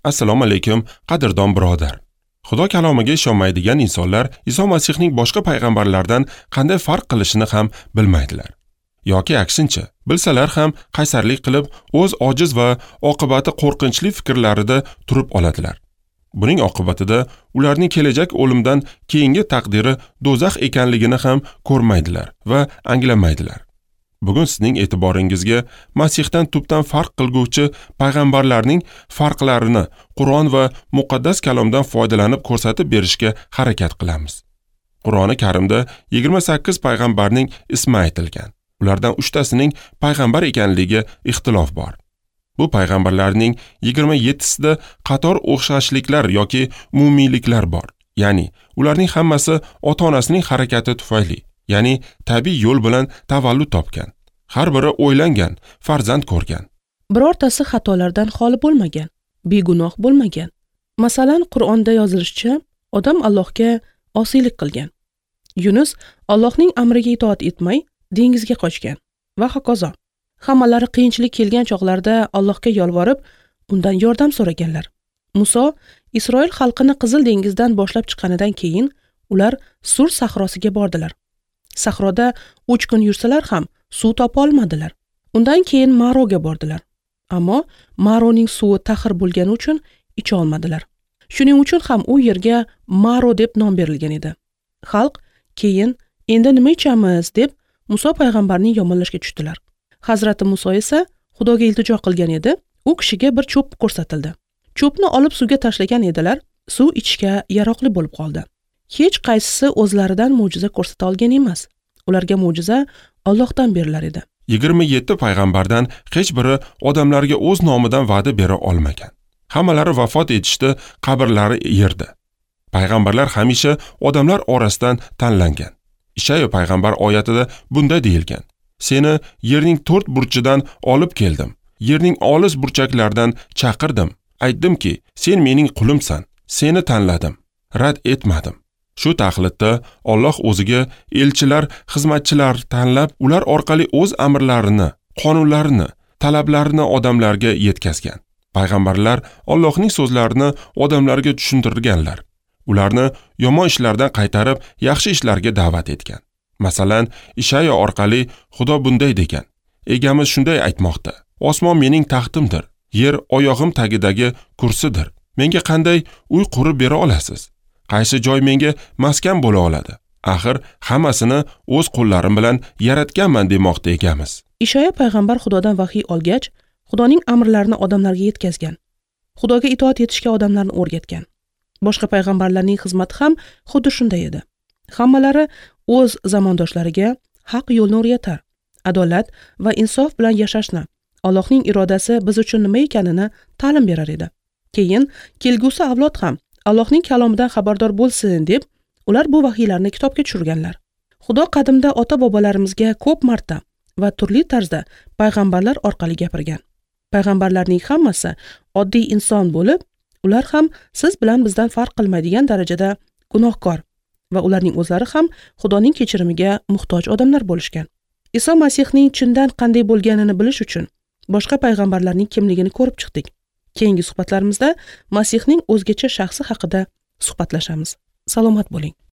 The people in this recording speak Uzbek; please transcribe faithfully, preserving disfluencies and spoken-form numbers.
Assalomu alaykum, qadrdon birodar. Xudo kalomiga ishonmaydigan insonlar Iso Masihning boshqa payg'ambarlardan qanday farq qilishini ham bilmaydilar. Yoki aksincha, bilsalar ham qaysarlik qilib, o'z ojiz va oqibati qo'rqinchli fikrlarida turib oladilar. Buning oqibatida ularning kelajak o'limdan keyingi taqdiri do'zax ekanligini ham ko'rmaydilar va anglamaydilar. Bugun sizning e'tiboringizga Masihdan tubdan farq qilguvchi payg'ambarlarning farqlarini Qur'on va muqaddas kalomdan foydalanib ko'rsatib berishga harakat qilamiz. Qur'oni Karimda yigirma sakkiz payg'ambarning ismi aytilgan. Ulardan uchtasining payg'ambar ekanligiga ixtilof bor. Bu payg'ambarlarning yigirma yettisida qator o'xshashliklar yoki umumiyliklar bor. Ya'ni ularning hammasi ota-onasining harakati tufayli, ya'ni tabiiy yo'l bilan tavallud topgan. Har biri o'ylangan, farzand ko'rgan. Birortasi xatolardan xoli bo'lmagan, begunoh bo'lmagan. Masalan, Qur'onda yozilishicha, odam Allohga osiylik qilgan. Yunus Allohning amriga itoat etmay dengizga qochgan va hokazo. Hammalari qiyinchilik kelgan chog'larda Allohga yolvorib, undan yordam so'raganlar. Muso Isroil xalqini Qizil dengizdan boshlab chiqqanidan keyin ular Sur sahrosiga bordilar. Sahroda uch kun yursalar ham suv topa olmadilar. Undan keyin Maroga bordilar. Ammo Maroning suvi taxir bo'lgani uchun icha olmadilar. Shuning uchun ham u yerga Maro deb nom berilgan edi. Xalq keyin endi nima ichamiz deb Muso payg'ambarning yomonlashga tushdilar. Hazrati Muso esa Xudoga iltijo qilgan edi. U kishiga bir cho'p ko'rsatildi. Cho'pni olib suvga tashlagan edilar, suv ichishga yaroqli bo'lib qoldi. Hech qaysisi o'zlaridan mo'jiza ko'rsata olgan emas. Ularga mo'jiza Allohdan berilar edi. yigirma yetti payg'ambardan hech biri odamlarga o'z nomidan va'da bera olmagan. Hammalari vafot etishdi, qabrlari yerda. Payg'ambarlar hamisha odamlar orasidan tanlangan. Ishayo payg'ambar oyatida bunday deyilgan: Seni yerning to'rt burchidan olib keldim. Yerning olis burchaklaridan chaqirdim. Aytdimki, sen mening qulimsan. Seni tanladim. Rad etmadim. Shu taxlitda Alloh o'ziga elchilar, xizmatchilar tanlab, ular orqali o'z amrlarini, qonunlarini, talablarini odamlarga yetkazgan. Payg'ambarlar Allohning so'zlarini odamlarga tushuntirganlar. Ularni yomon ishlardan qaytarib, yaxshi ishlarga da'vat etgan. Masalan, Ishayo orqali Xudo bunday degan: Egamiz shunday aytmoqda: Osmon mening taxtimdir, yer oyog'im tagidagi kursidir. Menga qanday uy qurib bera olasiz? Qaysi joy menga maskan bo'la oladi? Axir hammasini o'z qo'llarim bilan yaratganman demoqda egamiz. Ishoya payg'ambar Xudodan vahiy olgach, Xudoning amrlarini odamlarga yetkazgan. Xudoga itoat etishga odamlarni o'rgatgan. Boshqa payg'ambarlarning xizmati ham xuddi shunday edi. Hammalari o'z zamondoshlariga haq yo'lni o'rgatar, adolat va insof bilan yashashni, Allohning irodasi biz uchun nima ekanini ta'lim berar edi. Keyin kelgusi avlod ham Allohning kalomidan xabardor bo'lsin deb ular bu vahiylarni kitobga tushirganlar. Xudo qadimda ota-bobolarimizga ko'p marta va turli tarzda payg'ambarlar orqali gapirgan. Payg'ambarlarning hammasi oddiy inson bo'lib, ular ham siz bilan bizdan farq qilmaydigan darajada gunohkor va ularning o'zlari ham Xudoning kechirimiga muhtoj odamlar bo'lishgan. Iso Masihning chindan qanday bo'lganini bilish uchun boshqa payg'ambarlarning kimligini ko'rib chiqdik. Keyingi suhbatlarimizda Masihning o'zgacha shaxsi haqida suhbatlashamiz. Salomat bo'ling.